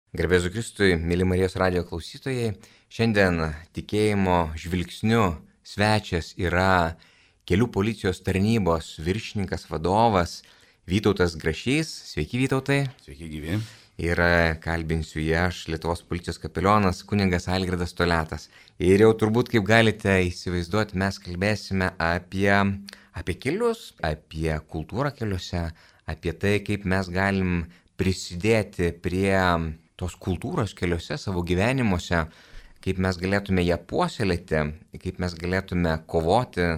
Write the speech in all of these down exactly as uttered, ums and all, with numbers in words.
Garbėzu Kristui, mėly Marijos radijo klausytojai, šiandien tikėjimo žvilgsniu svečias yra kelių policijos tarnybos viršininkas vadovas Vytautas Grašys. Sveiki, Vytautai. Sveiki, gyvi. Ir kalbinsiu jį aš, Lietuvos policijos kapelionas kunigas Algirdas Toliatas. Ir jau turbūt, kaip galite įsivaizduoti, mes kalbėsime apie, apie kelius, apie kultūrą keliuose, apie tai, kaip mes galim prisidėti prie tos kultūros keliuose savo gyvenimuose, kaip mes galėtume ją puoselėti, kaip mes galėtume kovoti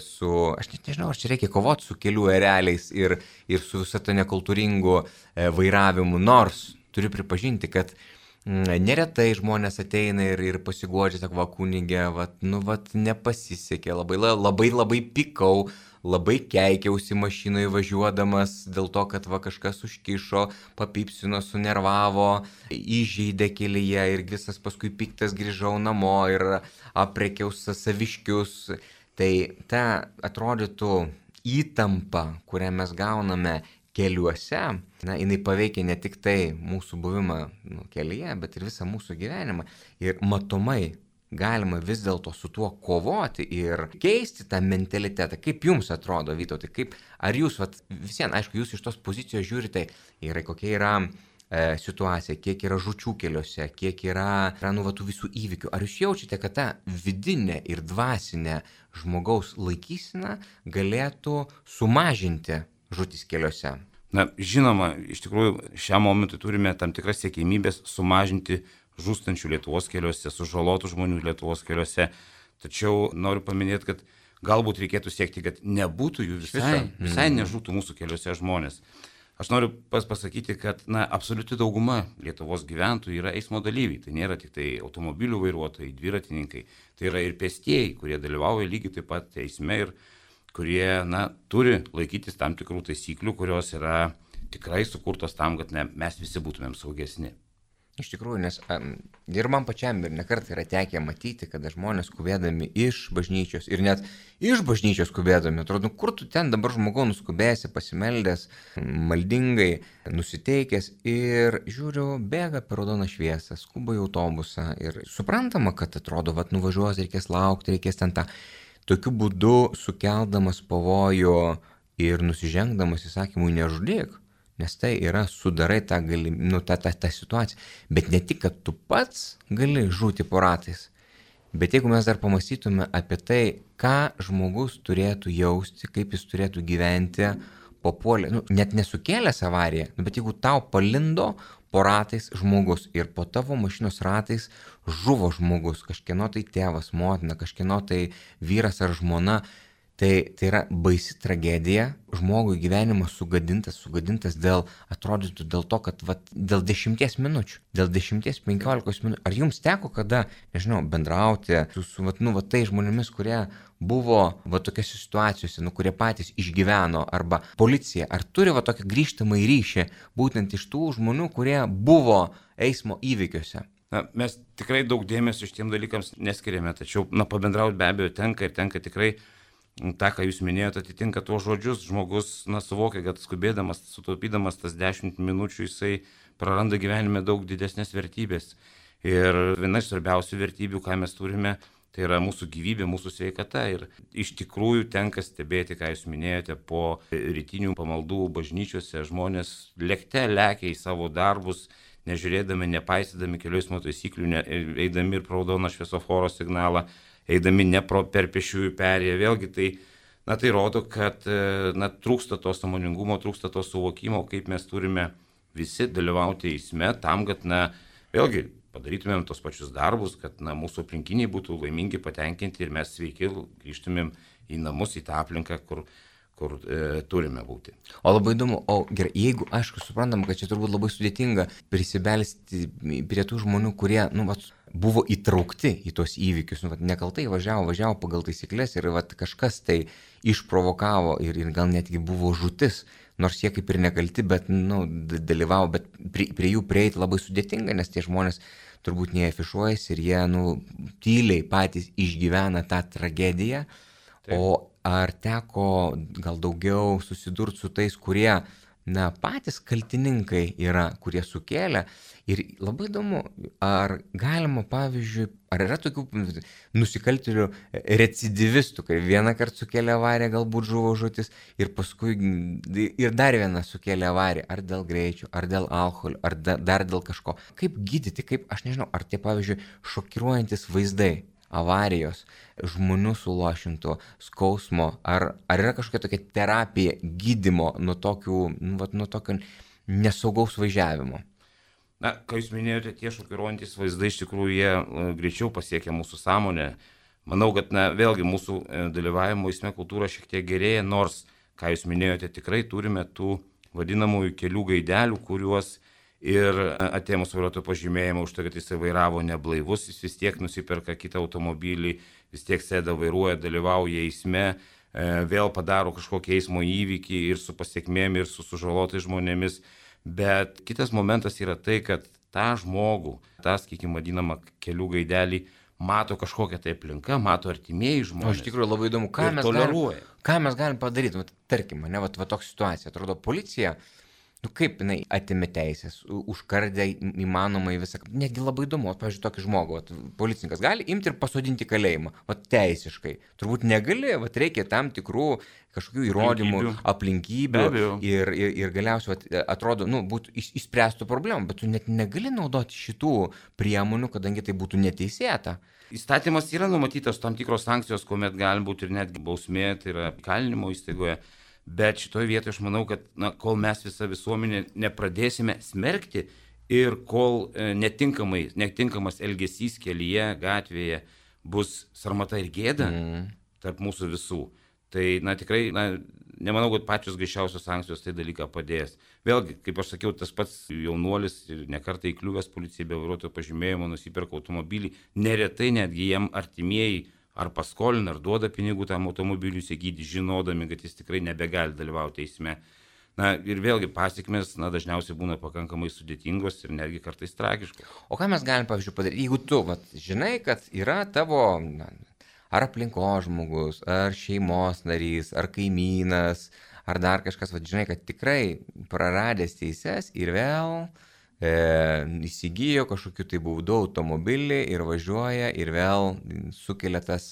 su, aš net nežinau, ar čia reikia kovoti su kelių ereliais ir, ir su visą to nekultūringu vairavimu, nors turiu pripažinti, kad neretai žmonės ateina ir, ir pasiguodžia, sako, va, kunigė, va, nu, va, nepasisekė, labai, labai, labai pikau, labai keikiausi mašinoje važiuodamas dėl to, kad va kažkas užkišo, papipsino, sunervavo, įžeidė kelyje ir visas paskui piktas grįžau namo ir aprekiau saviškius. Tai ta atrodytų įtampa, kurią mes gauname keliuose, na, jinai paveikia ne tik tai mūsų buvimą nu, kelyje, bet ir visą mūsų gyvenimą. Ir matomai galima vis dėlto su tuo kovoti ir keisti tą mentalitetą. Kaip jums atrodo, Vytautai, kaip, ar jūs, vat, visien, aišku, jūs iš tos pozicijos žiūrite, yra, kokia yra e, situacija, kiek yra žūčių keliuose, kiek yra, yra nu, va, tų visų įvykių. Ar jūs jaučiate, kad ta vidinė ir dvasinė žmogaus laikysena galėtų sumažinti žūtis keliuose? Na, žinoma, iš tikrųjų, šiam momentui turime tam tikras siekimybės sumažinti žūstančių Lietuvos keliuose, sužalotų žmonių Lietuvos keliuose. Tačiau noriu paminėti, kad galbūt reikėtų siekti, kad nebūtų jų visai, visai nežūtų mūsų keliuose žmonės. Aš noriu pas pasakyti, kad na, absoliuti dauguma Lietuvos gyventojų yra eismo dalyviai. Tai nėra tik tai automobilių vairuotojai, dviratininkai. Tai yra ir pėstieji, kurie dalyvauja lygiai taip pat eisme ir kurie na, turi laikytis tam tikrų taisyklių, kurios yra tikrai sukurtos tam, kad ne, mes visi būtumėm saugesni. Iš tikrųjų, nes um, ir man pačiam ir nekart yra tekę matyti, kada žmonės skubėdami iš bažnyčios ir net iš bažnyčios skubėdami, atrodo, nu, kur tu ten dabar žmogau nuskubėsi, pasimeldęs, maldingai, nusiteikęs ir žiūriu, bėga per raudoną šviesą, skuba į autobusą ir suprantama, kad atrodo, vat nuvažiuos, reikės laukti, reikės ten tą. Tokiu būdu sukeldamas pavojų ir nusižengdamas įsakymui nežudyk. Nes tai yra sudarai tą, galim, nu, tą, tą, tą situaciją. Bet ne tik, kad tu pats gali žūti po ratais, bet jeigu mes dar pamastytume apie tai, ką žmogus turėtų jausti, kaip jis turėtų gyventi papuolė, nu, net nesukėlęs avariją, nu, bet jeigu tau palindo po ratais žmogus ir po tavo mašinos ratais žuvo žmogus, kažkieno tai tėvas, motina, kažkieno tai vyras ar žmona, Tai, tai yra baisi tragedija, žmogui gyvenimas sugadintas, sugadintas dėl, atrodytų dėl to, kad vat, dėl dešimties minučių, dėl dešimties, penkiolikos minučių. Ar jums teko kada, nežinau, bendrauti su, su vat, nu, vat, tai žmonėmis, kurie buvo va tokiose situacijose, nu, kurie patys išgyveno, arba policija, ar turi va tokį grįžtamą ryšį būtent iš tų žmonių, kurie buvo eismo įvykiuose? Na, mes tikrai daug dėmesio šitiem dalykams neskiriame, tačiau na, pabendrauti be abejo tenka ir tenka tikrai. Ta, ką jūs minėjote, atitinka tuos žodžius, žmogus na, suvokia, kad skubėdamas, sutaupydamas tas dešimt minučių, jisai praranda gyvenime daug didesnės vertybės. Ir viena iš svarbiausių vertybių, ką mes turime, tai yra mūsų gyvybė, mūsų sveikata. Ir iš tikrųjų tenka stebėti, ką jūs minėjote, po rytinių pamaldų bažnyčiose žmonės lėkte lekia į savo darbus, nežiūrėdami, nepaisydami kelių eismo taisyklių, ne, eidami ir pro raudoną šviesoforo signalą, eidami ne pro per pėsčiųjų perėją. Vėlgi tai, na, tai rodo, kad na, trūksta to sąmoningumo, trūksta to suvokimo, kaip mes turime visi dalyvauti eisme tam, kad, na, vėlgi padarytumėm tos pačius darbus, kad na, mūsų aplinkiniai būtų laimingi, patenkinti ir mes sveiki grįžtumėm į namus, į tą aplinką, kur kur e, turime būti. O labai įdomu, o gerai, jeigu, aišku, suprantam, kad čia turbūt labai sudėtinga prisibelsti prie tų žmonių, kurie, nu, vat, buvo įtraukti į tos įvykius, nu, vat, nekaltai važiavo, važiavo pagal taisyklės ir vat, kažkas tai išprovokavo ir, ir gal netgi buvo žūtis, nors jie kaip ir nekalti, bet, nu, dalyvavo, bet prie, prie jų prieiti labai sudėtinga, nes tie žmonės turbūt neafišuojasi ir jie, nu, tyliai patys išgyvena tą tragediją. Taip. O ar teko gal daugiau susidurti su tais, kurie na, patys kaltininkai yra, kurie sukėlė. Ir labai įdomu, ar galima, pavyzdžiui, ar yra tokių nusikaltėlių recidivistų, kai vieną kartą sukėlė avariją, galbūt žuvo žūtis, ir paskui ir dar vieną sukėlė avariją, ar dėl greičio, ar dėl alkoholio, ar da, dar dėl kažko. Kaip gydyti, kaip, aš nežinau, ar tie, pavyzdžiui, šokiruojantis vaizdai, avarijos, žmonių sulašintų, skausmo, ar, ar yra kažkokia tokia terapija, gydymo nuo, tokių, nu, vat, nuo tokio nesaugaus važiavimo? Na, ką jūs minėjote, tie šokiruojantis vaizdai iš tikrųjų jie greičiau pasiekia mūsų sąmonę. Manau, kad na, vėlgi mūsų dalyvavimo eisme kultūra šiek tiek gerėja, nors, ką jūs minėjote, tikrai turime tų vadinamųjų kelių gaidelių, kuriuos ir atėmus vairuotojo pažymėjimą už tai, kad jisai vairavo neblaivus, jis vis tiek nusiperka kitą automobilį, vis tiek sėda, vairuoja, dalyvauja eisme, vėl padaro kažkokį eismo įvykį ir su pasiekmėm, ir su sužalotais žmonėmis. Bet kitas momentas yra tai, kad tą žmogų, tą, sakykime, vadinamą kelių gaidelį, mato kažkokią tai aplinką, mato artimieji žmonės. O iš tikrųjų labai įdomu, ką, mes galim, ką mes galim padaryti. Vat, tarkim, ne, vat, vat tokia situacija, atrodo, policija, nu kaip jinai atėmė teisės, užkardė įmanomai visą, netgi labai įdomu, pavyzdžiui, tokį žmogų, vat, policininkas gali imti ir pasodinti kalėjimą, vat, teisiškai. Turbūt negali, vat, reikia tam tikrų kažkokių įrodymų, aplinkybių, aplinkybių ir, ir, ir galiausiai vat, atrodo, nu, būtų išspręstų problemų, bet tu net negali naudoti šitų priemonių, kadangi tai būtų neteisėta. Įstatymas yra numatytas tam tikros sankcijos, kuomet gali būti ir netgi bausmė, tai yra kalinimo įstaigoje. Bet šitoje vietoje aš manau, kad na, kol mes visą visuomenę nepradėsime smerkti ir kol e, netinkamai, netinkamas elgesys kelyje, gatvėje bus sarmata ir gėda mm. tarp mūsų visų, tai na, tikrai na, nemanau, kad pačios griežčiausios sankcijos tai dalyką padės. Vėlgi, kaip aš sakiau, tas pats jaunuolis ir nekartą įkliuvęs policijai be vairuotojo pažymėjimo nusiperka automobilį, neretai netgi jiem artimieji ar paskolina, ar duoda pinigų tam automobiliui įsigyti, žinodami, kad jis tikrai nebegali dalyvauti eisme. Na ir vėlgi pasiekmes na, dažniausiai būna pakankamai sudėtingos ir netgi kartais tragiškos. O ką mes galim, pavyzdžiui, padaryti, jeigu tu vat, žinai, kad yra tavo na, ar aplinkos žmogus, ar šeimos narys, ar kaimynas, ar dar kažkas, vat, žinai, kad tikrai praradęs teises ir vėl E, įsigijo kažkokiu tai būdu automobilį ir važiuoja ir vėl sukelia tas,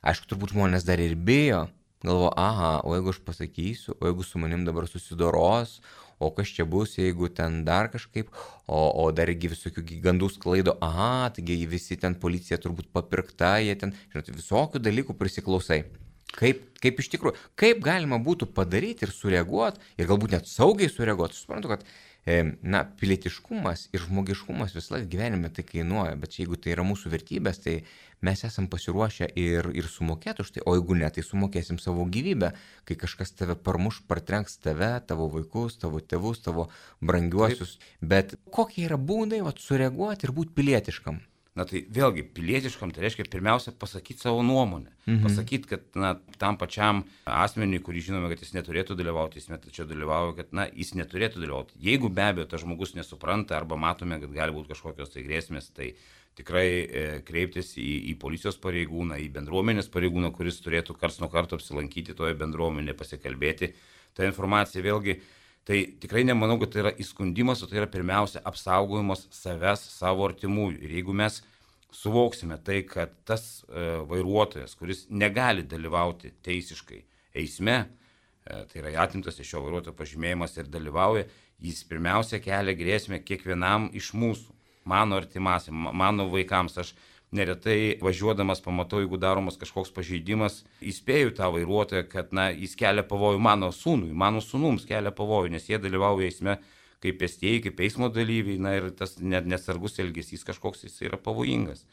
aišku, turbūt žmonės dar ir bijo, galvo, aha, o jeigu aš pasakysiu, o jeigu su manim dabar susidoros, o kas čia bus, jeigu ten dar kažkaip, o, o dargi visokių gandų sklaido, aha, taigi visi ten policija turbūt papirkta, jie ten, žinot, visokių dalykų prisiklausai. Kaip, kaip iš tikrųjų, kaip galima būtų padaryti ir sureaguoti, ir galbūt net saugiai sureaguoti, suprantu, kad na, pilietiškumas ir žmogiškumas visą laiką gyvenime tai kainuoja, bet jeigu tai yra mūsų vertybės, tai mes esam pasiruošę ir, ir sumokėti už tai, o jeigu ne, tai sumokėsim savo gyvybę, kai kažkas tave parmuš, partrenks tave, tavo vaikus, tavo tėvus, tavo brangiuosius, Taip. Bet kokie yra būdai vat, sureaguoti ir būti pilietiškam? Na tai vėlgi, pilietiškam tai reiškia pirmiausia pasakyti savo nuomonę. Mhm. Pasakyti, kad na, tam pačiam asmeniui, kurį žinome, kad jis neturėtų dalyvauti, jis tačiau dalyvauja, kad na, jis neturėtų dalyvauti. Jeigu be abejo tas žmogus nesupranta arba matome, kad gali būti kažkokios tai grėsmės, tai tikrai e, kreiptis į, į policijos pareigūną, į bendruomenės pareigūną, kuris turėtų karts nuo karto apsilankyti toje bendruomenėje, pasikalbėti. Ta informacija vėlgi, tai tikrai nemanau, kad tai yra įskundimas, o tai yra pirmiausia apsaugojimas savęs, savo artimųjų. Ir jeigu mes suvoksime tai, kad tas e, vairuotojas, kuris negali dalyvauti teisiškai eisme, e, tai yra atimtas iš šio vairuotojo pažymėjimas ir dalyvauja, jis pirmiausia kelia grėsmę kiekvienam iš mūsų, mano artimasiam, mano vaikams. Aš neretai važiuodamas pamatau, jeigu daromas kažkoks pažeidimas, įspėju tą vairuotoją, kad na, jis kelia pavojų mano sūnui, mano sūnums kelia pavojų, nes jie dalyvauja eisme kaip pėstieji, kaip eismo dalyviai, na ir tas net nesargus elgesys kažkoks jis yra pavojingas.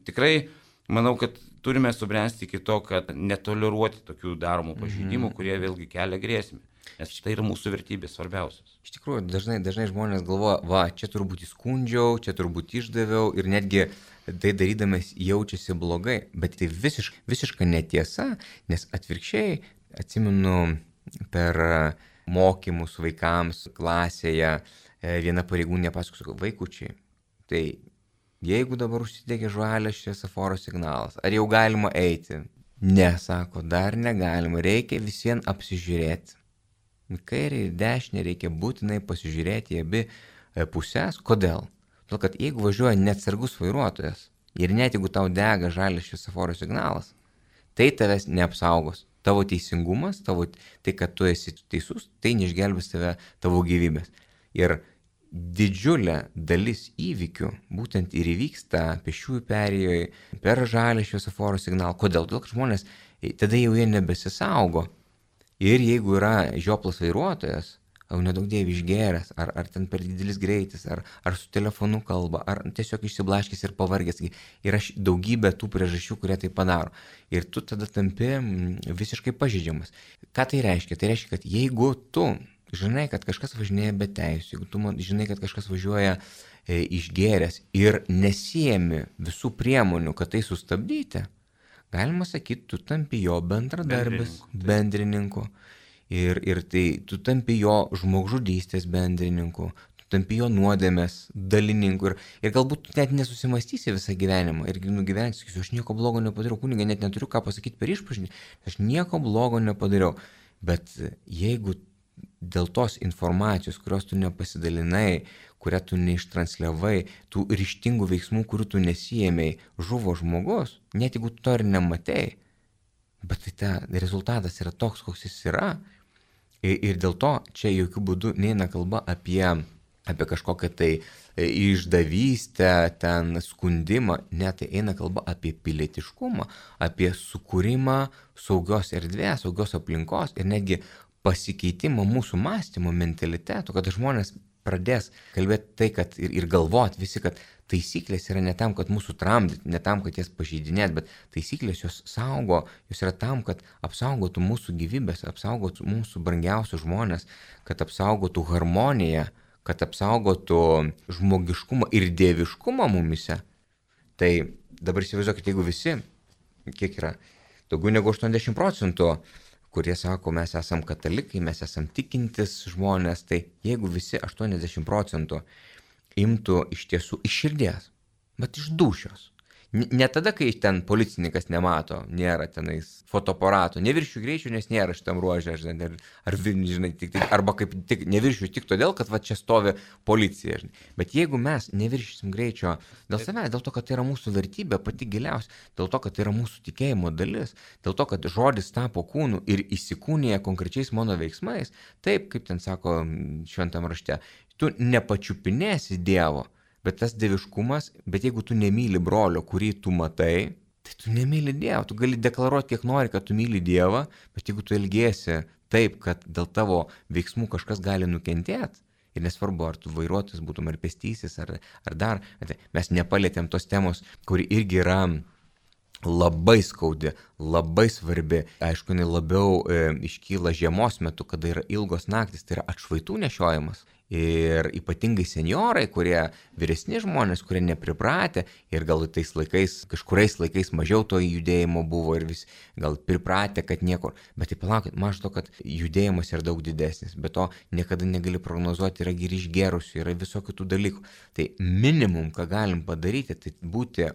Tikrai manau, kad turime subręsti iki to, kad netoleruoti tokių daromų pažeidimų, mm-hmm. kurie vėlgi kelia grėsmę. Nes tai yra mūsų vertybės svarbiausios. Iš tikrųjų, dažnai, dažnai žmonės galvoja, va, čia turbūt įskundžiau, čia turbūt išdaviau ir netgi tai darydamas jaučiasi blogai, bet tai visiškai, visiškai netiesa, nes atvirkščiai, atsimenu per mokymus vaikams klasėje, viena pareigūnė pasakojo, vaikučiai, tai jeigu dabar užsidegė žalias šviesoforo signalas, ar jau galima eiti? Ne, sako, dar negalima, reikia visiems apsižiūrėti. Į kairę ir dešinę reikia būtinai pasižiūrėti į abi pusės. Kodėl? Todėl, kad jeigu važiuoja neatsargus vairuotojas ir net jeigu tau dega žalias šviesoforo signalas, tai tavęs neapsaugos. Tavo teisingumas, tavo, tai, kad tu esi teisus, tai neišgelbės tave tavo gyvybės. Ir didžiulė dalis įvykių būtent ir įvyksta pėsčiųjų perėjoje, per žalią šviesoforo signalą. Kodėl? Todėl, kad žmonės tada jau jie nebesisaugo. Ir jeigu yra žioplas vairuotojas, au nedaug dievi išgėręs, ar, ar ten per didelis greitis, ar, ar su telefonu kalba, ar tiesiog išsiblaškęs ir pavargęs. Yra daugybė tų priežasčių, kurie tai padaro. Ir tu tada tampi visiškai pažeidžiamas. Ką tai reiškia? Tai reiškia, kad jeigu tu žinai, kad kažkas važinėja be teisų, jeigu tu žinai, kad kažkas važiuoja e, išgėręs ir nesiemi visų priemonių, kad tai sustabdyti, galima sakyti, tu tampi jo bendradarbis, bendrininku. Ir, ir tai tu tampi jo žmogžudystės bendrininku, tu tampi jo nuodėmės dalininku. Ir, ir galbūt tu net nesusimastysi visą gyvenimą. Ir nugyvensi, sakysiu, aš nieko blogo nepadariau, kunigai, net neturiu ką pasakyti per išpažinį, aš nieko blogo nepadariau. Bet jeigu dėl tos informacijos, kurios tu nepasidalinai, kurią tu neištransliavai, tų ryžtingų veiksmų, kurių tu nesijėmei, žuvo žmogus, net jeigu tu to ir nematei, bet tai ta rezultatas yra toks, koks jis yra. Ir, ir dėl to čia jokių būdų neina kalba apie, apie kažkokią tai išdavystę, ten skundimą, ne, tai eina kalba apie pilietiškumą, apie sukūrimą saugios erdvės, saugios aplinkos ir netgi pasikeitimą mūsų mąstymo mentaliteto, kad žmonės pradės kalbėti tai, kad ir, ir galvoti visi, kad taisyklės yra ne tam, kad mūsų tramdyti, ne tam, kad jas pažeidinėt, bet taisyklės jos saugo, jos yra tam, kad apsaugotų mūsų gyvybės, apsaugotų mūsų brangiausius žmonės, kad apsaugotų harmoniją, kad apsaugotų žmogiškumą ir dieviškumą mumise. Tai dabar įsivaizduokit, jeigu visi, kiek yra, daugiau negu aštuoniasdešimt procentų, kurie sako, mes esam katalikai, mes esam tikintis žmonės, tai jeigu visi aštuoniasdešimt procentų imtų iš tiesų iš širdies, bet iš dūšios. Ne tada, kai ten policininkas nemato, nėra tenais fotoaparato, neviršiu greičių, nes nėra šitam ruožė, žinai, ar, ar žinai, tik, tik, arba kaip tik neviršiu tik todėl, kad va čia stovi policija. Žinai. Bet jeigu mes neviršysim greičio dėl savęs, dėl to, kad tai yra mūsų vertybė pati giliausia, dėl to, kad tai yra mūsų tikėjimo dalis, dėl to, kad žodis tapo kūnu ir įsikūnija konkrečiais mano veiksmais, taip, kaip ten sako šventam rašte, tu nepačiupinėsi Dievo. Bet tas dieviškumas, bet jeigu tu nemyli brolio, kurį tu matai, tai tu nemyli Dievo. Tu gali deklaruoti, kiek nori, kad tu myli Dievą, bet jeigu tu elgiesi taip, kad dėl tavo veiksmų kažkas gali nukentėti, ir nesvarbu, ar tu vairuotojas būtum, ar pėstysis, ar, ar dar, mes nepalėtėm tos temos, kuri irgi yra labai skaudi, labai svarbi. Aišku, jinai labiau e, iškyla žiemos metu, kada yra ilgos naktis, tai yra atšvaitų nešiojimas. Ir ypatingai senjorai, kurie vyresni žmonės, kurie nepripratę ir gal tais laikais, kažkuriais laikais mažiau to judėjimo buvo ir vis gal pripratę, kad niekur. Bet tai palaukit, mažo to, kad judėjimas yra daug didesnis, bet to niekada negali prognozuoti, yra ir išgerusių, yra visokių tų dalykų. Tai minimum, ką galim padaryti, tai būti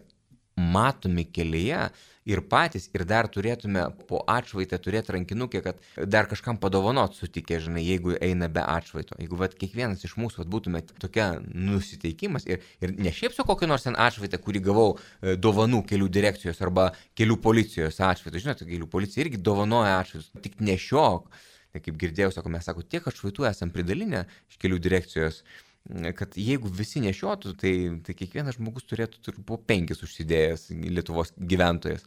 matomi kelyje ir patys, ir dar turėtume po atšvaitę turėti rankinukę, kad dar kažkam padovanot sutikę, žinai, jeigu eina be atšvaito. Jeigu vat, kiekvienas iš mūsų vat, būtume tokia nusiteikimas ir, ir ne šiaip su kokiu nors ten atšvaitę, kurį gavau e, dovanų kelių direkcijos arba kelių policijos atšvaitą. Žinote, kelių policija irgi dovanoja atšvaitus, tik nešiok. Tai kaip girdėjau, sako, mes sako, tiek atšvaitų esam pridalinę iš kelių direkcijos, kad jeigu visi nešiotų, tai, tai kiekvienas žmogus turėtų po penkis užsidėjęs Lietuvos gyventojas.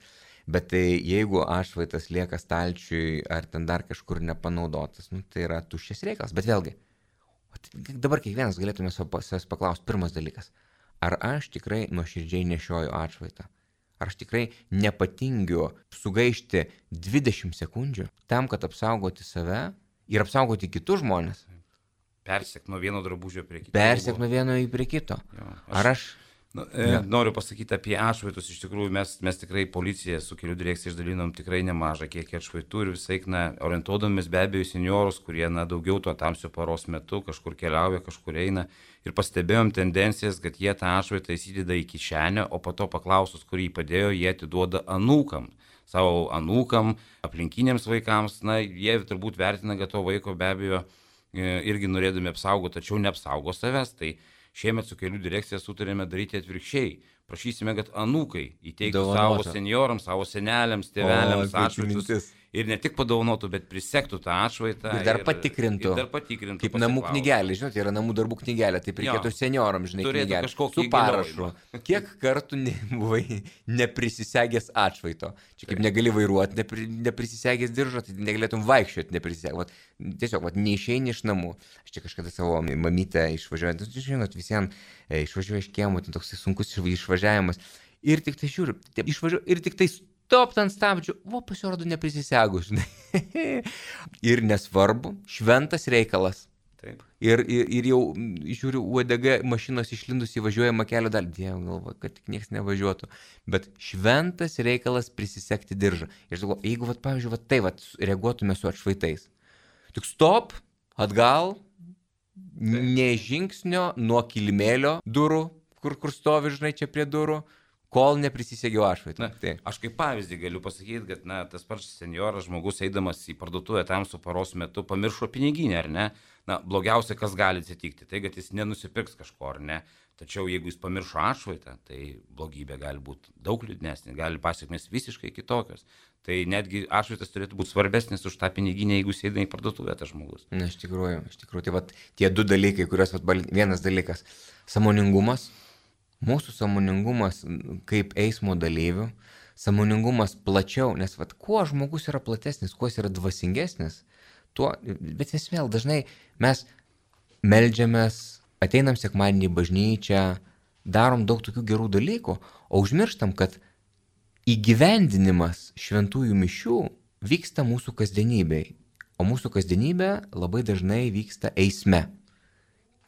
Bet tai jeigu atšvaitas lieka stalčiui ar ten dar kažkur nepanaudotas, nu, tai yra tuščias reikalas. Bet vėlgi, dabar kiekvienas galėtume savęs paklausti, pirmas dalykas, ar aš tikrai nuoširdžiai nešioju atšvaitą? Ar aš tikrai nepatingiu sugaišti dvidešimt sekundžių tam, kad apsaugoti save ir apsaugoti kitus žmonės? Persek nuo vieno drabužio prie kito. Persek nuo vieno prie kito. Jo, aš, Ar aš... Nu, e, noriu pasakyti apie atšvaitus. Iš tikrųjų, mes, mes tikrai policija su kelių direkcija išdalinom tikrai nemažą kiekį atšvaitų ir visai, na, orientuodomis be abejo seniorus, kurie, na, daugiau tuo tamsio paros metu kažkur keliauja, kažkur eina. Ir pastebėjom tendencijas, kad jie tą atšvaitą įsideda į kišenę, o po to paklausus, kur jį padėjo, jie atiduoda anūkam. savo anūkam, aplinkiniams vaikams, na, jie turbūt vertina, kad to vaiko be abejo irgi norėdami apsaugoti, tačiau neapsaugo savęs. Tai šiemet su kelių direkcija sutarėme daryti atvirkščiai. Prašysime, kad anūkai įteiktų savo senjorams, savo seneliams, tėveliams atšvaitus. Ir ne tik padaunotų, bet prisektų tą atšvaitą. Ir dar ir, patikrintų. Ir dar patikrintų. Kaip namų knygelė, žinote, yra namų darbų knygelė, tai reikėtų senjoram, žinai, knygelė. Su parašu. Kiek kartų ne, buvai neprisisegęs atšvaito? Čia kaip negali vairuoti, nepri, neprisisegęs diržo, tai negalėtum vaikščioti neprisisegęs. Tiesiog, vat, neišeini iš namų. Aš čia kažkada savo mamytę išvažiuojant, žinot, visiems išvažiuoju iš kiemo, tai toks sunkus išvažiavimas. Ir tik tai žiūriu, išvažiuoju, ir tik tai stop ant stabdžių, o pasirodo neprisisegus, žinai. Ir nesvarbu, šventas reikalas. Taip. Ir, ir, ir jau žiūriu, uodega mašinos išlindus įvažiuojama kelio dalį. Dievo galva, kad tik niekas nevažiuotų. Bet šventas reikalas prisisegti diržą. Ir aš galvoju, jeigu, vat, pavyzdžiui, vat, tai vat, reaguotume su atšvaitais. Tik stop, atgal, ne žingsnio nuo kilimėlio durų, kur, kur stovi, žinai, čia prie durų, kol neprisisegiau atšvaitą. Tai. Aš kaip pavyzdį galiu pasakyti, kad na, tas pats senjoras žmogus eidamas į parduotuvę tamsų paros metu pamiršo piniginę, ar ne? Na, blogiausia, kas gali atsitikti, tai kad jis nenusipirks kažko, ar ne? Tačiau jeigu jis pamiršo atšvaitą, tai blogybė gali būti daug liūdnesnė, gali pasiekmės visiškai kitokios. Tai netgi atšvaitas turėtų būti svarbesnis už tą piniginę, jeigu jis eina į parduotuvę tas žmogus. Na, iš tikrųjų, iš tikrųjų, tai vat, tie du dalykai, kuriuos vat, vienas dalykas - sąmoningumas. Mūsų sąmoningumas kaip eismo dalyvių, sąmoningumas plačiau, nes vat, kuo žmogus yra platesnis, kuo jis yra dvasingesnis, tuo, bet vis vėl dažnai mes meldžiamės, ateinam sekmadienį į bažnyčią, darom daug tokių gerų dalykų, o užmirštam, kad įgyvendinimas šventųjų mišių vyksta mūsų kasdienybėje, o mūsų kasdienybė labai dažnai vyksta eisme,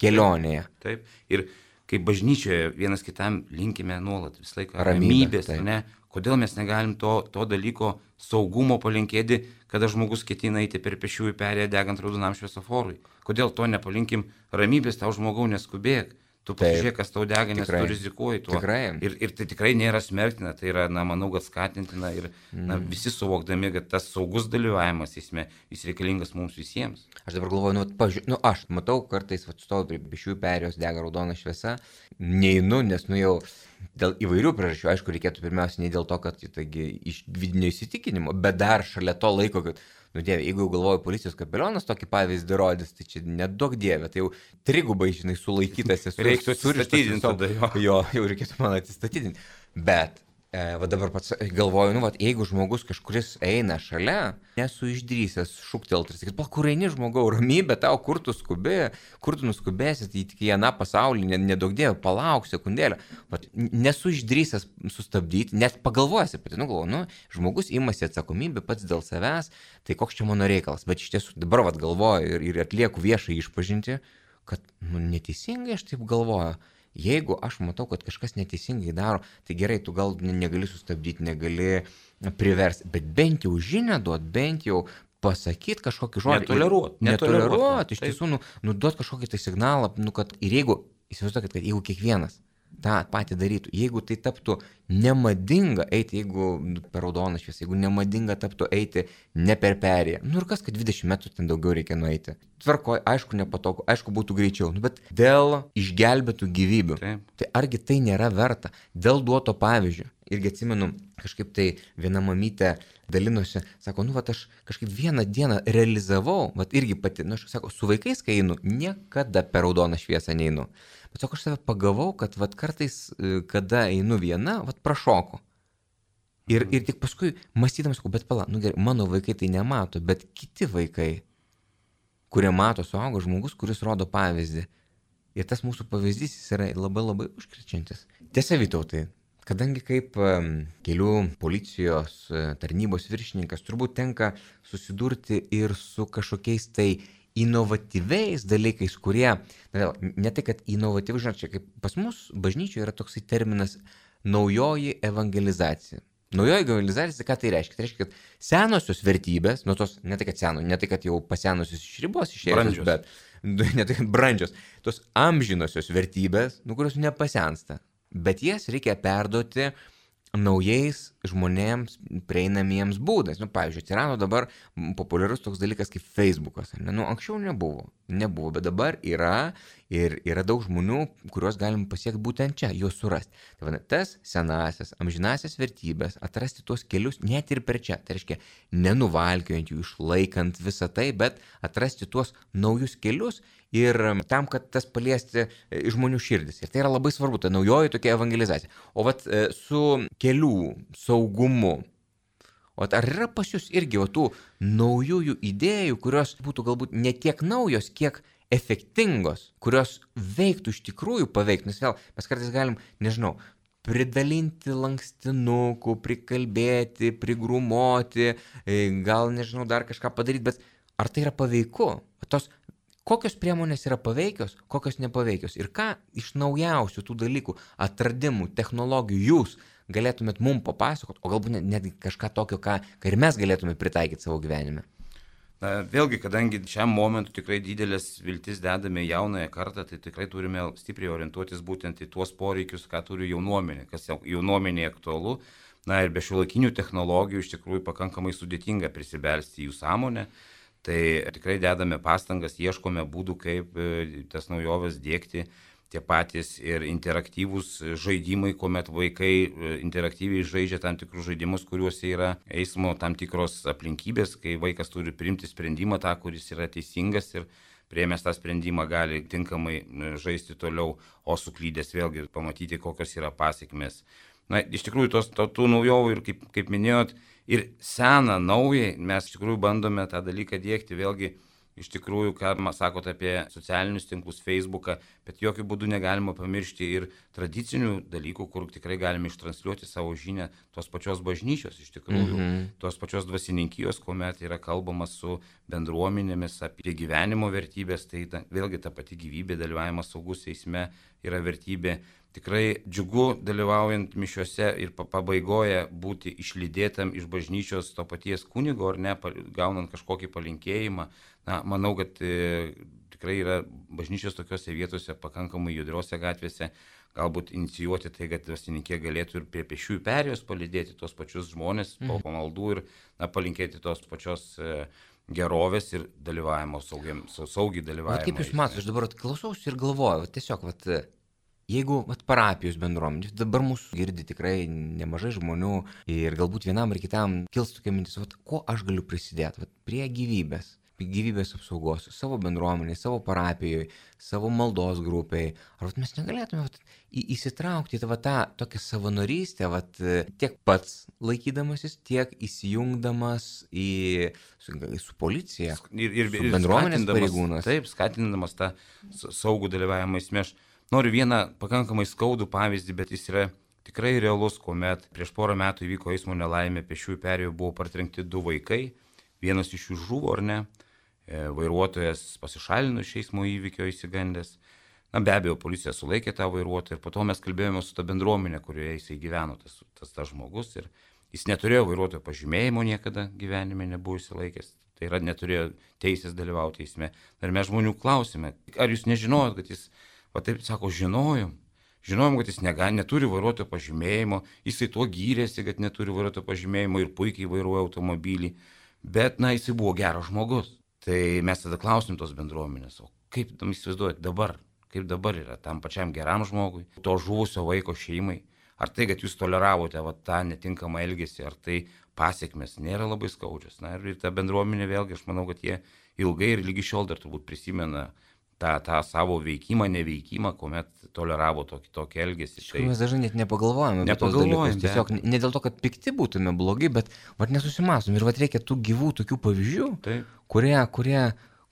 kelionėje. Taip, taip. Ir kaip bažnyčioje vienas kitam linkime nuolat visą laiką Ramybė, ramybės, ne? Kodėl mes negalim to, to dalyko saugumo palinkėti, kada žmogus ketina eiti per pėsčiųjų perėją degant raudonam šviesoforui? Kodėl to nepalinkim ramybės, tau žmogau neskubėk, tu pasižiūrėk, kas tau dega, nes tu rizikuoji tuo. Ir, ir tai tikrai nėra smerktina, tai yra, na, manau, kad skatintina ir mm. na, visi suvokdami, kad tas saugus dalyvavimas eisme, jis reikalingas mums visiems. Aš dabar galvoju, nu, pažiūrėjau, nu, aš matau, kartais stoviu prie pėsčiųjų perėjos, dega raudona šviesa, neinu, nes, nu, jau dėl įvairių priežasčių, aišku, reikėtų pirmiausia ne dėl to, kad taigi, iš vidinio įsitikinimo, bet dar šalia to laiko, kad nu, dieve, jeigu jau galvoju, policijos kapelionas tokį pavyzdį rodys, tai čia nedaug dieve, tai jau trigubai, žinai, sulaikytas esu. Reiktų atsistatydinti tada jo. Jo, jau reikėtų man atsistatydinti. Bet, e, va dabar pats galvoju, nu, va, jeigu žmogus kažkuris eina šalia, nesu išdrysęs šūktelti ir sakyti, pa, kur eini žmogau, ramybė tau, kur tu skubi, kur tu nuskubėsi, tai tik į aną pasaulį, nedaug dieve, palauk sekundėlę. Va, nesu išdrysęs sustabdyti, net pagalvojęs apie tai, nu, galvoju, nu, žmogus imasi atsakomybę pats dėl savęs, tai koks čia mano reikalas, bet iš tiesų dabar vat galvoju ir, ir atlieku viešai išpažinti, kad nu, neteisingai aš taip galvoju. Jeigu aš matau, kad kažkas neteisingai daro, tai gerai, tu gal negali sustabdyti, negali priversti, bet bent jau žinią duot, bent jau pasakyti kažkokį žodį. Netoleruot. Netoleruot, iš tiesų, nu, nu duot kažkokį tai signalą, nu, kad ir jeigu, įsivaizduokit, kad jeigu kiekvienas tą patį darytų, jeigu tai taptų nemadinga eiti, jeigu per raudoną šviesą, jeigu nemadinga taptų eiti ne per perėją, nu ir kas, kad dvidešimt metrų ten daugiau reikia nueiti. Tvarkoj, aišku, nepatogu, aišku, būtų greičiau, nu, bet dėl išgelbėtų gyvybių. Taip. Tai argi tai nėra verta? Dėl duoto pavyzdžio. Irgi atsimenu, kažkaip tai viena mamytė dalinosi, sako, nu, vat aš kažkaip vieną dieną realizavau, vat irgi pati, nu, aš sako, su vaikais, kai einu, niekada per raudoną šviesą neinu. Bet sako, aš save pagavau, kad vat kartais, kada einu viena, vat prašoku. Ir, ir tik paskui mąstydamas, sakau, bet pala, nu gerai, mano vaikai tai nemato, bet kiti vaikai, kurie mato suaugo žmogus, kuris rodo pavyzdį. Ir tas mūsų pavyzdys jis yra labai labai užkrečiantis. Tiesa, Vytautai, kadangi kaip um, kelių policijos uh, tarnybos viršininkas turbūt tenka susidurti ir su kažkokiais tai inovatyviais dalykais, kurie, na, ne tai, kad inovatyvus, žinot, čia kaip pas mus bažnyčioje yra toksai terminas naujoji evangelizacija. Naujoji evangelizacija, ką tai reiškia? Tai reiškia, kad senosios vertybės, nu tos, ne tai, kad seno, ne tai, kad jau pasenusios iš ribos išėjusios, bet ne tai, kad brandžios, tos amžinosios vertybės, nu, kurios nepasensta, bet jas reikia perduoti naujais žmonėms prieinamiems būdais. Nu, pavyzdžiui, atsirado dabar populiarus toks dalykas kaip Facebookas. Ne? Nu, anksčiau nebuvo. Nebuvo, bet dabar yra ir yra daug žmonių, kuriuos galim pasiekti būtent čia, juos surasti. Tai va, tas senasias, amžinasias vertybės, atrasti tuos kelius net ir per čia. Tai reiškia, nenuvalkiojant jų, išlaikant visą tai, bet atrasti tuos naujus kelius ir tam, kad tas paliesti žmonių širdis. Ir tai yra labai svarbu, ta naujoji tokia evangelizacija. O vat su kelių saugumu, o ar yra pas jūs irgi o tų naujųjų idėjų, kurios būtų galbūt ne tiek naujos, kiek efektingos, kurios veiktų iš tikrųjų paveikti? Nes vėl mes kartais galim, nežinau, pridalinti lankstinukų, prikalbėti, prigrumoti, gal, nežinau, dar kažką padaryti, bet ar tai yra paveiku? Tos, kokios priemonės yra paveikios, kokios nepaveikios? Ir ką iš naujausių tų dalykų, atradimų, technologijų jūs galėtumėt mum papasakot, o galbūt netgi kažką tokio, ką, ką ir mes galėtume pritaikyti savo gyvenime? Na, vėlgi, kadangi šiam momentu tikrai didelės viltis dedame jaunąją kartą, tai tikrai turime stipriai orientuotis būtent į tuos poreikius, ką turi jaunuomenė, kas jaunuomenė aktualu. Na ir be šiuolaikinių technologijų iš tikrųjų pakankamai sudėtinga prisibelsti į jų sąmonę. Tai tikrai dedame pastangas, ieškome būdų, kaip tas naujoves dėkti. Tie patys ir interaktyvūs žaidimai, kuomet vaikai interaktyviai žaidžia tam tikrus žaidimus, kuriuose yra eismo tam tikros aplinkybės, kai vaikas turi priimti sprendimą tą, kuris yra teisingas ir priėmęs tą sprendimą gali tinkamai žaisti toliau, o suklydęs vėlgi pamatyti, kokios yra pasiekmes. Na, iš tikrųjų, tos, to, tų naujovių ir kaip, kaip minėjot, ir seną, naujai mes iš tikrųjų bandome tą dalyką dėkti vėlgi. Iš tikrųjų, ką man sakot apie socialinius tinklus, Facebooką, bet jokių būdų negalima pamiršti ir tradicinių dalykų, kur tikrai galime ištransliuoti savo žinią tos pačios bažnyčios, iš tikrųjų, mm-hmm. tos pačios dvasininkijos, kuomet yra kalbama su bendruomenėmis apie gyvenimo vertybės, tai ta, vėlgi ta pati gyvybė, dalyvavimas saugus eisme yra vertybė. Tikrai džiugu dalyvaujant mišiuose ir pabaigoje būti išlydėtam iš bažnyčios to paties kunigo, ar ne, gaunant kažkokį palinkėjimą. Na, manau, kad e, tikrai yra bažnyčios tokiose vietose, pakankamai judriose gatvėse, galbūt inicijuoti tai, kad dvasininkė galėtų ir prie pėsčiųjų perėjos palydėti tos pačius žmonės po pamaldų ir na, palinkėti tos pačios e, gerovės ir dalyvavimo, saugiai, saugiai dalyvavimo. O kaip jūs matote, aš dabar klausausi ir galvoju, tiesiog, vat, jeigu vat, parapijos bendruomenė, dabar mūsų girdi tikrai nemažai žmonių ir galbūt vienam ar kitam kils tokia mintis, vat, ko aš galiu prisidėti vat, prie gyvybės. gyvybės apsaugos, savo bendruomeniai, savo parapijoje, savo maldos grupiai. Ar vat, mes negalėtume vat, į, įsitraukti į tą, tą tokią savanorystę, vat, tiek pats laikydamasis, tiek įsijungdamas į, su, su policija, ir, ir, su bendruomenės pareigūnas. Taip, skatindamas tą saugų dalyvavimą eisme. Aš noriu vieną pakankamai skaudų pavyzdį, bet jis yra tikrai realus, kuomet prieš porą metų įvyko eismo nelaimė, pėsčiųjų perėjų buvo partrenkti du vaikai, vienas iš jų žuvo, ar ne? Vairuotojas pasišalino iš eismo įvykio įsigandęs. Na, be abejo, policija sulaikė tą vairuotoją ir po to mes kalbėjome su ta bendruomenė, kurioje jisai gyveno, tas, tas, tas žmogus. Ir jis neturėjo vairuotojo pažymėjimo niekada gyvenime, nebuvo įsilaikęs. Tai yra, neturėjo teisės dalyvauti eisme. Ir mes žmonių klausime, ar jūs nežinojot, kad jis, va taip sako, žinojom. Žinojom, kad jis nega, neturi vairuotojo pažymėjimo, jisai tuo gyrėsi, kad neturi vairuotojo pažymėjimo ir puikiai vairuoja automobilį. Bet, na, jisai buvo geras žmogus. Tai mes tada klausim tos bendruomenės, o kaip tam įsivaizduojat dabar, kaip dabar yra tam pačiam geram žmogui, to žuvusio vaiko šeimai, ar tai, kad jūs toleravote va, tą netinkamą elgesį, ar tai pasiekmes nėra labai skaudžios. Na ir ta bendruomenė vėlgi, aš manau, kad jie ilgai ir lygi šiol dar turbūt prisimena tą, tą savo veikimą, neveikimą, kuomet toleravo tokį, tokį elgesį. Iš tikrųjų, mes dažnai net nepagalvojame apie tos dalykus. Tiesiog ne dėl to, kad pikti būtume blogi, bet vat, nesusimastom. Ir vat, reikia tų gyvų tokių pavyzdžių, Taip. kurie, kurie,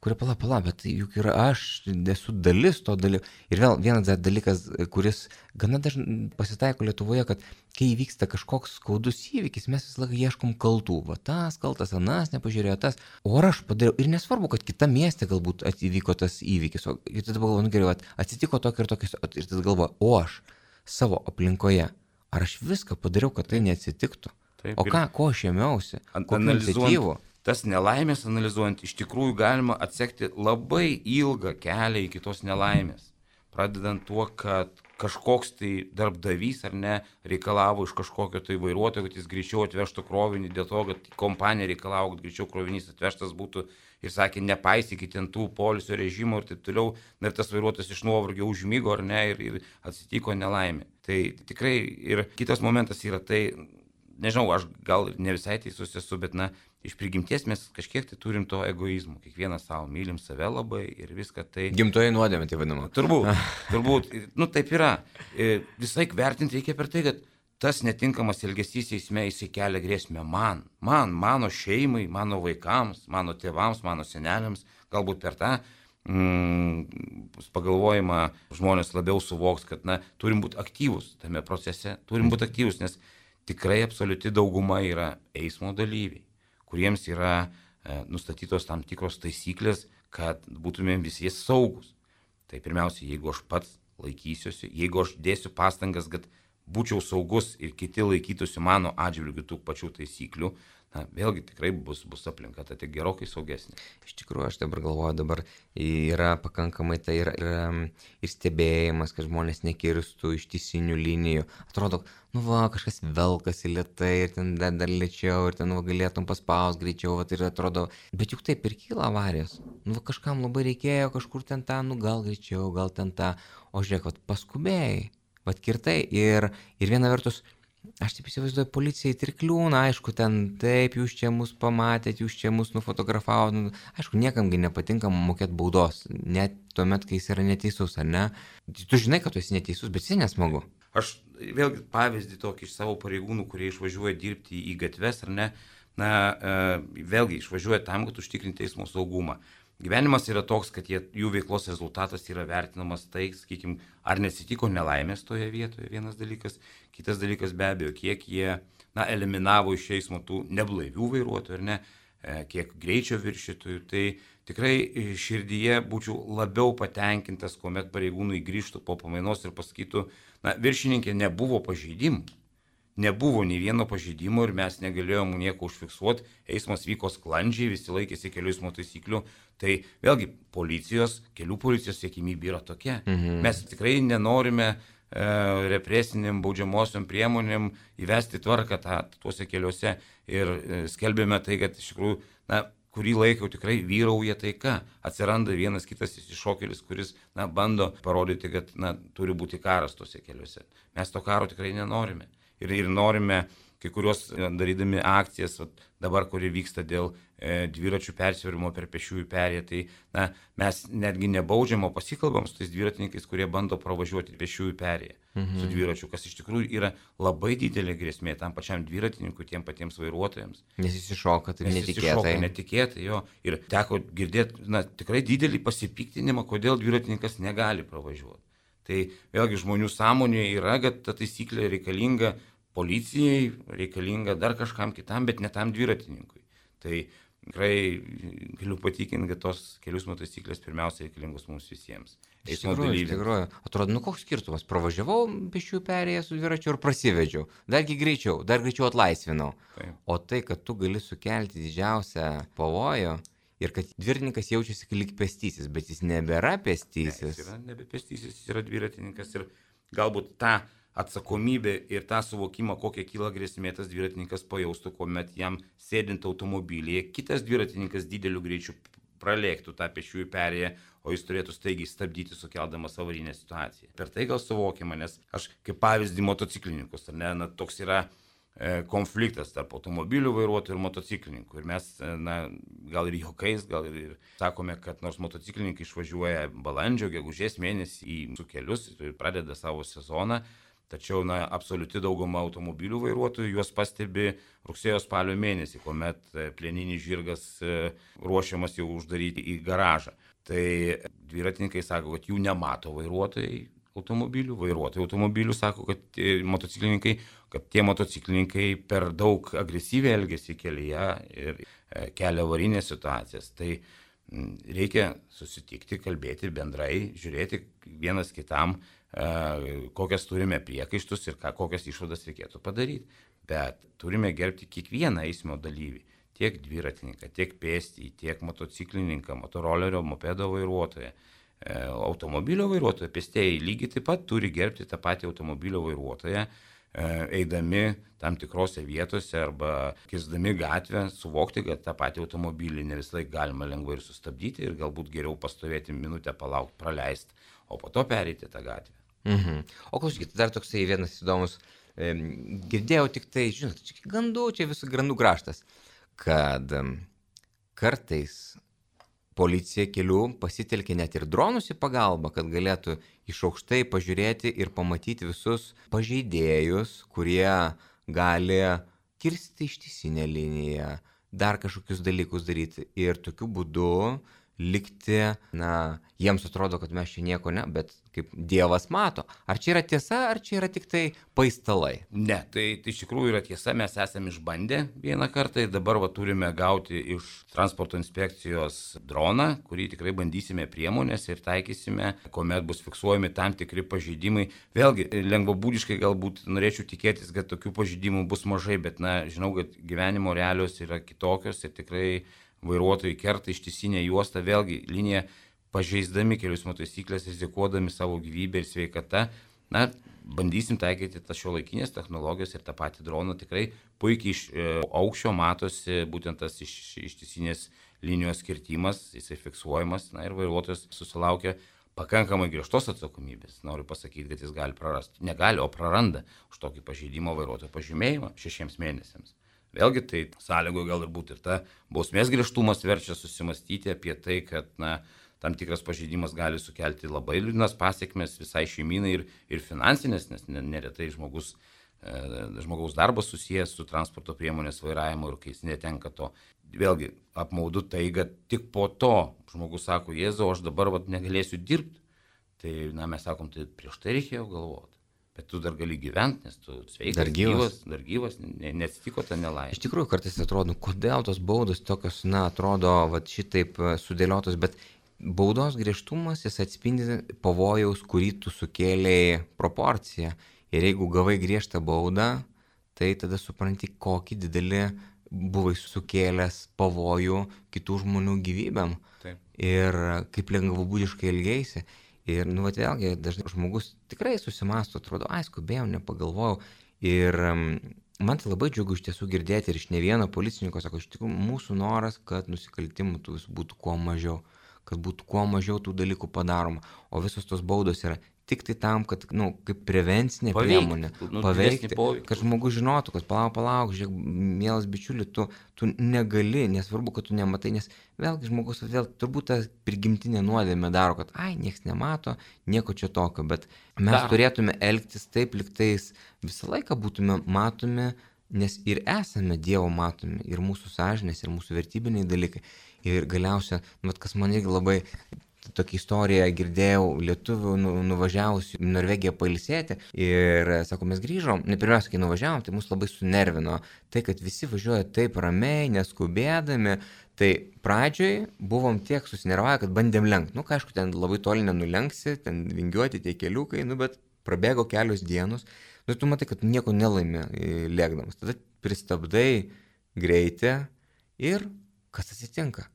kurie pala, pala, bet juk yra aš, esu dalis to dalyko. Ir vėl vienas dalykas, kuris gana dažnai pasitaiko Lietuvoje, kad kai įvyksta kažkoks skaudus įvykis, mes visą laiką ieškom kaltų. Va tas kaltas, anas nepažiūrėjo tas. O ar aš padariau? Ir nesvarbu, kad kita mieste galbūt įvyko tas įvykis. O ir tada galvoju, nu gerai, atsitiko tokio ir tokio. Ir tada galvoju, o aš savo aplinkoje, ar aš viską padariau, kad tai neatsitiktų? Taip, o ką, ko aš ėmiausi? Kokių iniciatyvų? Tas nelaimės analizuojant, iš tikrųjų galima atsekti labai ilgą kelią iki tos nelaimės. pradedant tuo, kad kažkoks tai darbdavys ar ne reikalavo iš kažkokio tai vairuotojo, kad jis greičiau atvežtų krovinį, dėl to, kad kompanija reikalavo, kad greičiau krovinys atvežtas būtų ir sakė, nepaisykit ten tų poilsio režimų ir taip toliau, ir tas vairuotojas iš nuovargio užmygo ar ne ir, ir atsitiko nelaimė. Tai tikrai ir kitas momentas yra tai, nežinau, aš gal ne visai teisus esu, bet na, iš prigimties mes kažkiek tai turim to egoizmo, kiekvienas savo mylim save labai ir viską tai... Gimtoji nuodėmė, tai vadinama. Turbūt, turbūt, nu taip yra. Visai vertinti reikia per tai, kad tas netinkamas elgesys eisme jisai kelia grėsmę man, man, mano šeimai, mano vaikams, mano tėvams, mano seneliams, galbūt per tą mm, pagalvojimą žmonės labiau suvoks, kad na, turim būti aktyvus tame procese, turim būti aktyvus, nes tikrai absoliuti dauguma yra eismo dalyviai, kuriems yra e, nustatytos tam tikros taisyklės, kad būtumėm visi saugus. Tai pirmiausia, jeigu aš pats laikysiuosi, jeigu aš dėsiu pastangas, kad būčiau saugus ir kiti laikytųsi mano atžvilgių tų pačių taisyklių, na, vėlgi tikrai bus, bus aplinka, tai tik gerokai saugesnė. Iš tikrųjų, aš dabar galvoju, dabar yra pakankamai tai ir, ir, ir stebėjimas, kad žmonės nekirstų ištisinių linijų. Atrodo, nu va, kažkas velkasi lėtai ir ten dar, dar lėčiau ir ten va, galėtum paspaus greičiau, va, ir atrodo, bet juk taip ir kyla avarijos. Nu va, kažkam labai reikėjo kažkur ten tą, nu gal greičiau, gal ten tą, o žiūrėk, va, paskubėjai, va, kirtai ir, ir viena vertus, aš taip įsivaizduoju, policijai ir kliūna, aišku, ten taip, jūs čia mus pamatėt, jūs čia mus nufotografavot, nu, aišku, niekamgi nepatinka mokėti baudos, net tuomet, kai jis yra neteisus, ar ne? Tu žinai, kad tu esi neteisus, bet jis nesmagu. Aš vėlgi pavyzdį tokį iš savo pareigūnų, kurie išvažiuoja dirbti į gatves, ar ne, na, vėlgi išvažiuoja tam, kad užtikrinti eismo saugumą. Gyvenimas yra toks, kad jie, jų veiklos rezultatas yra vertinamas tai, sakykime, ar nesitiko nelaimės toje vietoje, vienas dalykas. Kitas dalykas be abejo, kiek jie na, eliminavo iš eismo tų neblaivių vairuotojų, ar ne, kiek greičio viršytojų. Tai tikrai širdyje būčiau labiau patenkintas, kuomet pareigūnai grįžtų po pamainos ir pasakytų, na, viršininkė, nebuvo pažeidimų. Nebuvo nei vieno pažeidimo ir mes negalėjom nieko užfiksuoti, eismas vyko sklandžiai, visi laikėsi kelių eismo taisyklių, tai vėlgi policijos, kelių policijos siekimybė yra tokia. Mhm. Mes tikrai nenorime e, represiniam baudžiamosiom priemonėm įvesti tvarką tą, tuose keliuose ir e, skelbėme tai, kad iš tikrųjų, na, kurį laiką tikrai vyrauja taika, atsiranda vienas kitas iššokėlis, kuris na, bando parodyti, kad na, turi būti karas tuose keliuose. Mes to karo tikrai nenorime. Ir, ir norime kai kurios darydami akcijas, dabar, kuri vyksta dėl e, dviračių persivėrimo per pėsčiųjų perėją, tai na, mes netgi nebaudžiam, o pasikalbam su tais dviratininkais, kurie bando pravažiuoti pėsčiųjų perėją mhm. su dviračiu, kas iš tikrųjų yra labai didelė grėsmė tam pačiam dviratininkui, tiem patiems vairuotojams. Nes jis iššoka, tai Nes netikėtai. Jis iššoka netikėtai, jo. Ir teko girdėti na, tikrai didelį pasipiktinimą, kodėl dviratininkas negali pravažiuoti. Tai vėlgi žmonių sąmonėje yra, kad ta taisyklė reikalinga policijai, reikalinga dar kažkam kitam, bet ne tam dviratininkui. Tai tikrai galiu patikinti, kad tos kelių eismo taisyklės pirmiausia reikalingos mums visiems. Iš tikrųjų, iš tikrųjų. Atrodo, nu koks skirtumas, pravažiavau pėsčiųjų perėją su dviračiu ir prasivedžiau. Dargi greičiau, dar greičiau atlaisvinau. Taip. O tai, kad tu gali sukelti didžiausią pavojų ir kad dviratininkas jaučiasi lyg pėstysis, bet jis nebėra pėstysis. Ne, jis yra nebe pėstysis, jis yra dviratininkas ir galbūt tą atsakomybė ir tą suvokimą, kokia kyla grėsmė, tas dviratininkas pajaustų, kuomet jam sėdint automobilyje, kitas dviratininkas dideliu greičiu pralėktų tą pėsčiųjų perėją, o jis turėtų staigiai stabdyti, sukeldamas avarinę situaciją. Per tai gal suvokiama, nes aš kaip pavyzdį motociklininkus, ar ne, na, toks yra e, konfliktas tarp automobilių vairuotojų ir motociklininkų. Ir mes, e, na, gal ir juokais, gal ir, ir sakome, kad nors motociklininkai išvažiuoja balandžio, gegužės mėnesį į su kelius ir pradeda savo sezoną, tačiau, na, absoliuti dauguma automobilių vairuotojų juos pastebi rugsėjo spalio mėnesį, kuomet plieninis žirgas ruošiamas jau uždaryti į garažą. Tai dviratininkai sako, kad jų nemato vairuotojai automobilių, vairuotojai automobilių sako, kad motociklininkai, kad tie motociklininkai per daug agresyviai elgiasi kelyje ir kelia avarinės situacijas. Tai reikia susitikti, kalbėti bendrai, žiūrėti vienas kitam, kokias turime priekaištus ir ką, kokias išvadas reikėtų padaryti. Bet turime gerbti kiekvieną eismo dalyvį, tiek dviratininką, tiek pėstį, tiek motociklininką, motorolerio, mopedo vairuotoją. automobilio vairuotoją, pėstieji lygiai taip pat turi gerbti tą patį automobilio vairuotoją, eidami tam tikrose vietose arba kirsdami gatvę, suvokti, kad tą patį automobilį ne visą laiką galima lengvai ir sustabdyti ir galbūt geriau pastovėti minutę, palaukti, praleisti, o po to pereiti tą gatvę. Mhm. O klausykit, dar toksai vienas įdomus, e, girdėjau tik tai, žinot, čia gandų, čia visų grandų kraštas, kad e, kartais policija kelių pasitelkia net ir dronus į pagalbą, kad galėtų iš aukštai pažiūrėti ir pamatyti visus pažeidėjus, kurie gali kirsti ištisinę liniją, dar kažkokius dalykus daryti ir tokiu būdu likti, na, jiems atrodo, kad mes čia nieko ne, bet kaip Dievas mato. Ar čia yra tiesa, ar čia yra tik tai paistalai? Ne, tai, tai iš tikrųjų yra tiesa, mes esame išbandę vieną kartą ir dabar va, turime gauti iš transporto inspekcijos droną, kurį tikrai bandysime priemonės ir taikysime, kuomet bus fiksuojami tam tikri pažeidimai. Vėlgi, lengvabūdiškai galbūt norėčiau tikėtis, kad tokių pažeidimų bus mažai, bet na, žinau, kad gyvenimo realios yra kitokios ir tikrai vairuotojai kerta ištisinę juostą, vėlgi liniją pažeisdami kelių eismo taisyklės, rizikuodami savo gyvybę ir sveikatą. Na, bandysim taikyti tas šiuolaikinės technologijos ir tą patį droną. Tikrai puikiai iš e, aukščio matosi būtent tas iš, ištisinės linijos kirtimas, jisai fiksuojamas, na ir vairuotojas susilaukia pakankamai griežtos atsakomybės. Noriu pasakyti, kad jis gali prarasti. Negali, o praranda už tokį pažeidimo vairuotojo pažymėjimą šešiems mėnesiams. Vėlgi tai sąlygoje gal ir būtų ir ta bausmės griežtumas verčia susimastyti apie tai, kad na, tam tikras pažeidimas gali sukelti labai liūdnas pasiekmes visai šeiminai ir, ir finansinės, nes neretai žmogus, e, žmogaus darbas susijęs su transporto priemonės vairavimu ir kai jis netenka to. Vėlgi apmaudu tai, kad tik po to žmogus sako, Jėzau, aš dabar vat, negalėsiu dirbti. Tai na, mes sakom, tai prieš tai reikėjo galvoti. Bet tu dar gali gyventi, nes tu sveikas, dar gyvas, dar gyvas, neatsitiko ta nelaimė. Iš tikrųjų, kartais atrodo, kodėl tos baudos tokios, na, atrodo, va, šitaip sudėliotos, bet baudos griežtumas, jis atspindi pavojaus, kurį tu sukėlėjai proporciją. Ir jeigu gavai griežtą baudą, tai tada supranti, kokį didelį buvai sukėlęs pavojų kitų žmonių gyvybėm. Taip. Ir kaip lengvabūdiškai elgeisi. Ir, nu, vat vėlgi, dažnai žmogus tikrai susimąsto, atrodo, ai, skubėjau, nepagalvojau. Ir um, man tai labai džiugu iš tiesų girdėti ir iš ne vieno policininko, sako, iš tikrųjų, mūsų noras, kad nusikaltimų tų būtų kuo mažiau, kad būtų kuo mažiau tų dalykų padaroma. O visos tos baudos yra tik tai tam, kad, nu, kaip prevencinė Paveikti, priemonė, nu, paveikti, poveikį. Kad žmogus žinotų, kad palauk, palauk, žiūrėk, mielas bičiuli, tu, tu negali, nesvarbu, kad tu nematai, nes vėlgi žmogus vėl turbūt tą prigimtinę nuodėmę daro, kad ai, nieks nemato, nieko čia tokio, bet mes Dar. turėtume elgtis taip, liktais visą laiką būtume matomi, nes ir esame Dievo matomi, ir mūsų sąžinės, ir mūsų vertybiniai dalykai. Ir galiausia, nu, kas man irgi labai tokia istorija girdėjau lietuvių nu, nuvažiavusių į Norvegiją pailsėti ir, sako, mes grįžom, ne pirmiausia, kai nuvažiavom, tai mus labai sunervino tai, kad visi važiuoja taip ramiai, neskubėdami, tai pradžioj buvom tiek susinervavę, kad bandėm lenkti, nu, ką, aišku, ten labai toli nenulenksi, ten vingiuoti tie keliukai, nu, bet prabėgo kelios dienos, nu, tu matai, kad nieko nelaimi lėkdamas, tada pristabdai greitį ir kas atsitinka?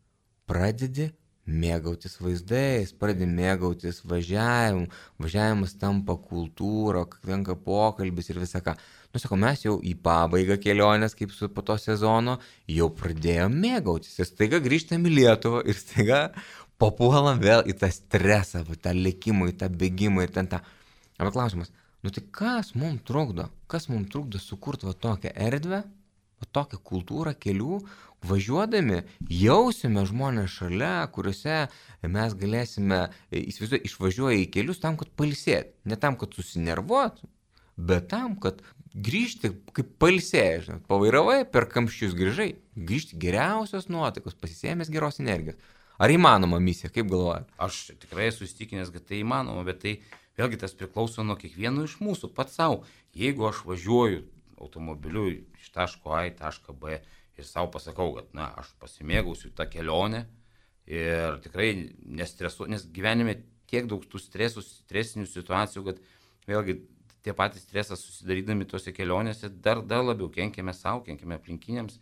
Pradedi mėgautis vaizdais, pradedi mėgautis važiavimu, važiavimas tampa kultūra, tenka pokalbis ir visą ką. Nu, sako, mes jau į pabaigą kelionės, kaip su po to sezono, jau pradėjom mėgautis. Ir staiga grįžtam į Lietuvą ir staiga papuolam vėl į tą stresą, į tą lėkimą, į tą bėgimą ir ten tą. Arba klausimas, nu tai kas mums trukdo? Kas mums trukdo sukurti va tokią erdvę, va tokią kultūrą kelių, važiuodami jausime žmonės šalia, kuriuose mes galėsime, įsivaizduoju, išvažiuoja į kelius tam, kad pailsėti. Ne tam, kad susinervuot, bet tam, kad grįžti kaip pailsėjai, žinot, pavairavai, per kamščius grįžai, grįžti geriausios nuotaikos, pasisėmęs geros energijos. Ar įmanoma misija, kaip galvojat? Aš tikrai esu įsitikinęs, kad tai įmanoma, bet tai vėlgi tas priklauso nuo kiekvieno iš mūsų, pats savo. Jeigu aš važiuoju automobiliu iš taško A į tašką B ir savo pasakau, kad na, aš pasimėgausiu tą kelionę ir tikrai nestresuoju, nes gyvenime tiek daug tų stresų, stresinių situacijų, kad vėlgi tie patys stresas susidarydami tose kelionėse dar, dar labiau kenkėme savo, kenkėme aplinkiniams.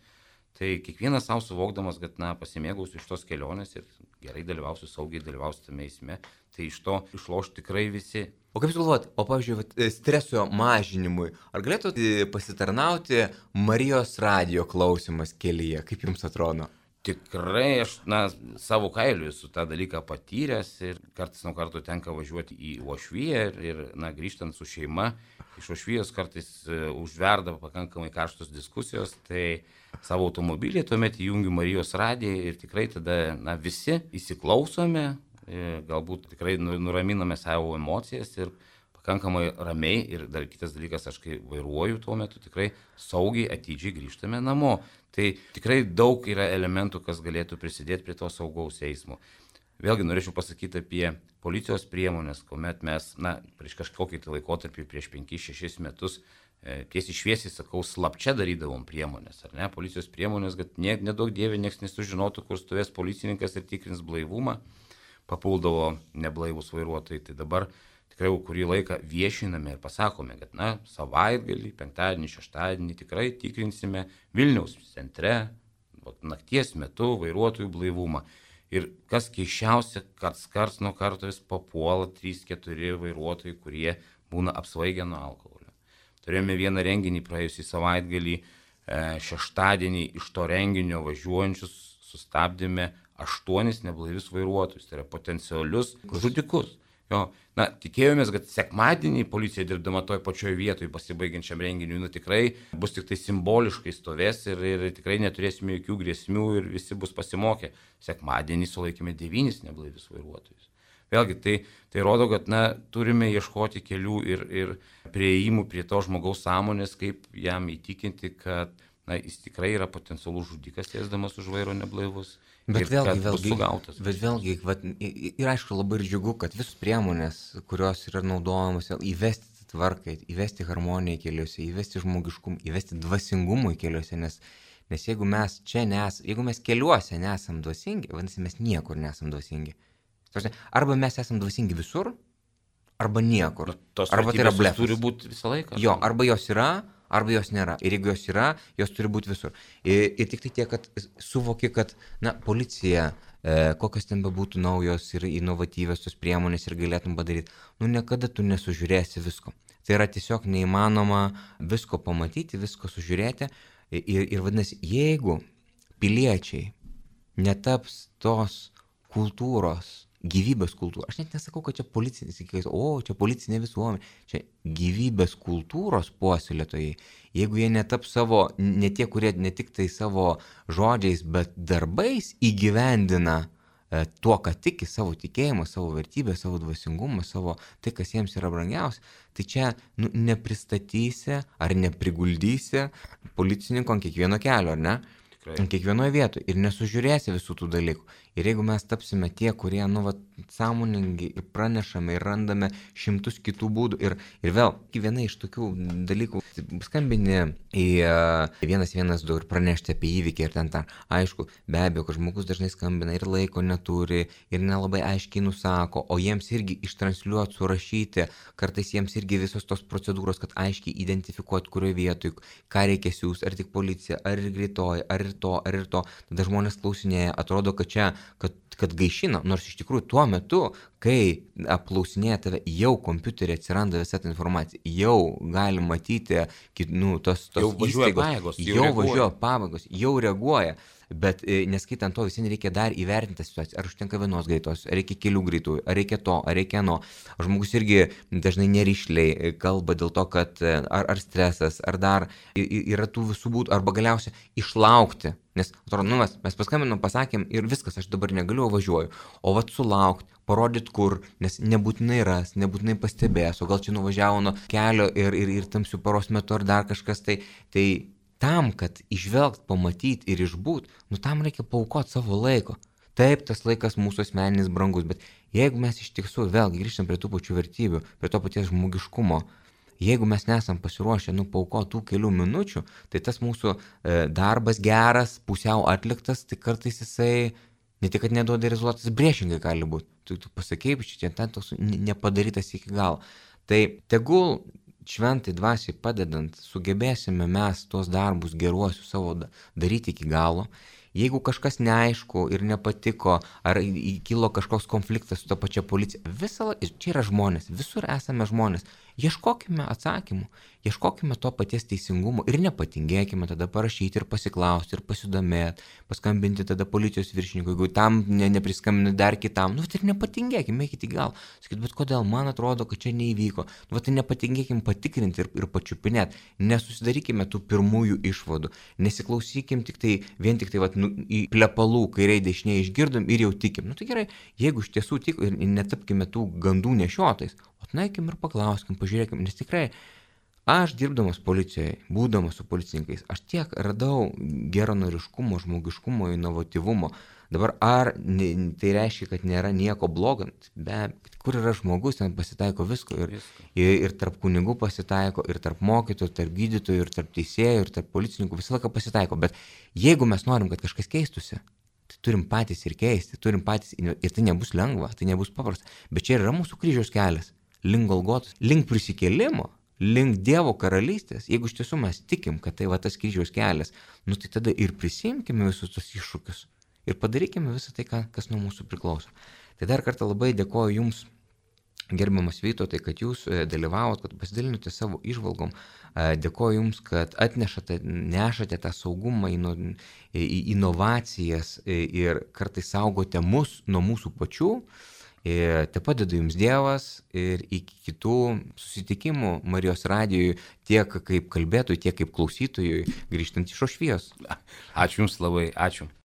Tai kiekvienas savo suvokdamas, kad na, pasimėgausiu iš tos kelionės ir gerai dalyvausiu, saugiai dalyvausiu tame eisme, tai iš to išloš tikrai visi. O kaip jūs galvojat, o pavyzdžiui, vat, streso mažinimui, ar galėtų pasitarnauti Marijos radijo klausimas kelyje, kaip jums atrodo? Tikrai aš na, savo kailiu esu tą dalyką patyręs ir kartais nuo karto tenka važiuoti į Uošviją ir, ir na, grįžtant su šeima, iš Uošvijos kartais uh, užverda pakankamai karštos diskusijos, tai savo automobilį tuomet įjungiu Marijos radiją ir tikrai tada na, visi įsiklausome, galbūt tikrai nuraminame savo emocijas ir pakankamai ramiai ir dar kitas dalykas, aš kai vairuoju tuo metu tikrai saugiai atidžiai grįžtame namo. Tai tikrai daug yra elementų, kas galėtų prisidėti prie to saugaus eismo. Vėlgi norėčiau pasakyti apie policijos priemonės, kuomet mes, na, prieš kažkokį tai laikotarpį, prieš penkis šešis metus, e, tiesiai šviesiai sakau, slapčia darydavom priemonės, ar ne, policijos priemonės, kad ne, nedaug dievė nieks nesužinotų, kur stovės policininkas ir tikrins blaivumą, papuldavo neblaivus vairuotojai, tai dabar tikrai jau kurį laiką viešiname ir pasakome, kad na, savaitgalį, penktadienį, šeštadienį tikrai tikrinsime Vilniaus centre, nakties metu vairuotojų blaivumą. Ir kas keiščiausia, karts karts nuo karto vis papuola trys keturi vairuotojai, kurie būna apsvaigę nuo alkoholio. Turėjome vieną renginį praėjusį savaitgalį, šeštadienį iš to renginio važiuojančius sustabdėme aštuonis neblaivius vairuotojus, tai yra potencialius žudikus. Jo, na, tikėjomės, kad sekmadienį policija dirbdama toj pačioj vietoj pasibaigiančiam renginiui, nu tikrai bus tik tai simboliškai stovės ir, ir tikrai neturėsime jokių grėsmių ir visi bus pasimokę. Sekmadienį sulaikėme devynis neblaivius vairuotojus. Vėlgi, tai, tai rodo, kad na, turime ieškoti kelių ir, ir prieimų prie to žmogaus sąmonės, kaip jam įtikinti, kad na, jis tikrai yra potencialus žudikas, sėsdamas už vairo neblaivus. Bet vėlgi, vėlgi, bet vėlgi, vat, ir aišku labai ir džiugu, kad visos priemonės, kurios yra naudojamos, įvesti tvarkai, įvesti harmoniją keliuose, įvesti žmogiškumą, įvesti dvasingumą keliuose, nes, nes jeigu mes čia nes, jeigu mes keliuose nesam dvasingi, vadinasi, mes niekur nesam dvasingi. Arba mes esam dvasingi visur, arba niekur. Tos arba tai yra blefas. Turi būti visą laiką. Jo, arba jos yra, arba jos nėra. Ir jeigu jos yra, jos turi būti visur. Ir, ir tik tai tiek, kad suvoki, kad na, policija, e, kokios ten bebūtų naujos ir inovatyvios tos priemonės ir galėtum padaryti, nu niekada tu nesužiūrėsi visko. Tai yra tiesiog neįmanoma visko pamatyti, visko sužiūrėti. Ir, ir vadinasi, jeigu piliečiai netaps tos kultūros, gyvybės kultūra. Aš net nesakau, kad čia policinis, o čia policinė visuomenė. Čia gyvybės kultūros puoselėtojai. Jeigu jie netaps savo, ne tie, kurie ne tik tai savo žodžiais, bet darbais įgyvendina e, tuo, ką tiki, savo tikėjimą, savo vertybę, savo dvasingumą, savo tai, kas jiems yra brangiausia, tai čia nu, nepristatysi ar nepriguldysi policininko ant kiekvieno kelio, ar ne? Ant kiekvienoje vietoje ir nesužiūrėsi visų tų dalykų. Ir jeigu mes tapsime tie, kurie, nu, va, sąmoningi ir pranešame ir randame šimtus kitų būdų. Ir, ir vėl, viena iš tokių dalykų, skambini į vienas vienas du ir pranešti apie įvykį ir ten tą. Aišku, be abejo, kad žmogus dažnai skambina ir laiko neturi ir nelabai aiškiai nusako, o jiems irgi ištransliuoti, surašyti, kartais jiems irgi visos tos procedūros, kad aiškiai identifikuoti, kurioje vietoje, ką reikia siūs, ar tik policija, ar ir greitoji, ar ir to, ar ir to. Tada žmonės klausinėja, atrodo, kad čia Kad, kad gaišina, nors iš tikrųjų tuo metu, kai apklausinėja tave, jau kompiuterį atsiranda visa ta informacija, jau gali matyti, nu, tos, tos jau važiuoja įstaigos, pajėgos, jau, jau jau važiuoja pabagos, jau reaguoja, bet neskaitant to, visi reikia dar įvertinti situaciją, ar užtenka vienos greitos, ar reikia kelių greitųjų, ar reikia to, ar reikia no. Žmogus irgi dažnai nerišliai kalba dėl to, kad ar, ar stresas, ar dar yra tų visų būdų, arba galiausiai išlaukti. Nes, atrodo, nu, mes, mes paskambinom, pasakėm ir viskas, aš dabar negaliu, važiuoju. O vat sulaukti, parodyti kur, nes nebūtinai ras, nebūtinai pastebės, o gal čia nuvažiavo nuo kelio ir, ir, ir tamsių paros metu ar dar kažkas, tai, tai tam, kad išvelgt, pamatyti ir išbūt, nu tam reikia paaukoti savo laiko. Taip, tas laikas mūsų asmeninis brangus, bet jeigu mes iš tiesų vėlgi grįžtam prie tų pačių vertybių, prie to paties žmogiškumo, jeigu mes nesam pasiruošę nu paaukoti tų kelių minučių, tai tas mūsų e, darbas geras, pusiau atliktas, tai kartais jisai ne tik, kad neduoda rezultatas, priešingai gali būti. Tu, tu pasakei, čia ten toks nepadarytas iki galo. Tai tegul šventai dvasiai padedant, sugebėsime mes tuos darbus geruosius savo daryti iki galo. Jeigu kažkas neaišku ir nepatiko, ar kilo kažkoks konfliktas su ta pačia policija, visą, čia yra žmonės, visur esame žmonės. Ieškokime atsakymų, ieškokime to paties teisingumo ir nepatingėkime tada parašyti ir pasiklausti ir pasidomėti, paskambinti tada policijos viršininkui, jeigu tam ne, nepriskambini dar kitam, nu tai ir nepatingėkime, eikite į galą. Sakyt, bet kodėl man atrodo, kad čia neįvyko. Nu tai nepatingėkime patikrinti ir, ir pačiupinėti, nesusidarykime tų pirmųjų išvadų, nesiklausykim tik tai, vien tik tai vat, nu, į plepalų kairiai dešiniai išgirdom ir jau tikim. Nu tai gerai, jeigu iš tiesų tik ir netapkime tų gandų nešiotais, atnaikim ir paklauskim, pažiūrėkim, nes tikrai aš dirbdamas policijoje, būdamas su policininkais, aš tiek radau geranoriškumo, žmogiškumo, inovatyvumo. Dabar ar ne, tai reiškia, kad nėra nieko blogo, be kur yra žmogus, ten pasitaiko visko ir, ir, ir tarp kunigų pasitaiko, ir tarp mokytojų, tarp gydytojų, ir tarp teisėjų, ir tarp policininkų, visą laiką pasitaiko. Bet jeigu mes norim, kad kažkas keistusi, tai turim patys ir keisti, turim patys, ir tai nebus lengva, tai nebus paprasta. Bet čia yra mūsų kryžiaus kelias, link Golgotos, link prisikėlimo, link Dievo karalystės. Jeigu iš tiesų mes tikim, kad tai va tas kryžiaus kelias, nu tai tada ir prisimkime visus tos iššūkius ir padarykime visą tai, kas nuo mūsų priklauso. Tai dar kartą labai dėkoju Jums, gerbiamas Vytautai, kad Jūs dalyvavot, kad pasidalinote savo įžvalgom. Dėkoju Jums, kad atnešate, nešate tą saugumą, inovacijas ir kartais saugote mus nuo mūsų pačių. Te padeda Jums Dievas ir iki kitų susitikimų Marijos radijui tiek kaip kalbėtojui, tiek kaip klausytojui grįžtant iš Ošvijos. Ačiū Jums labai, ačiū.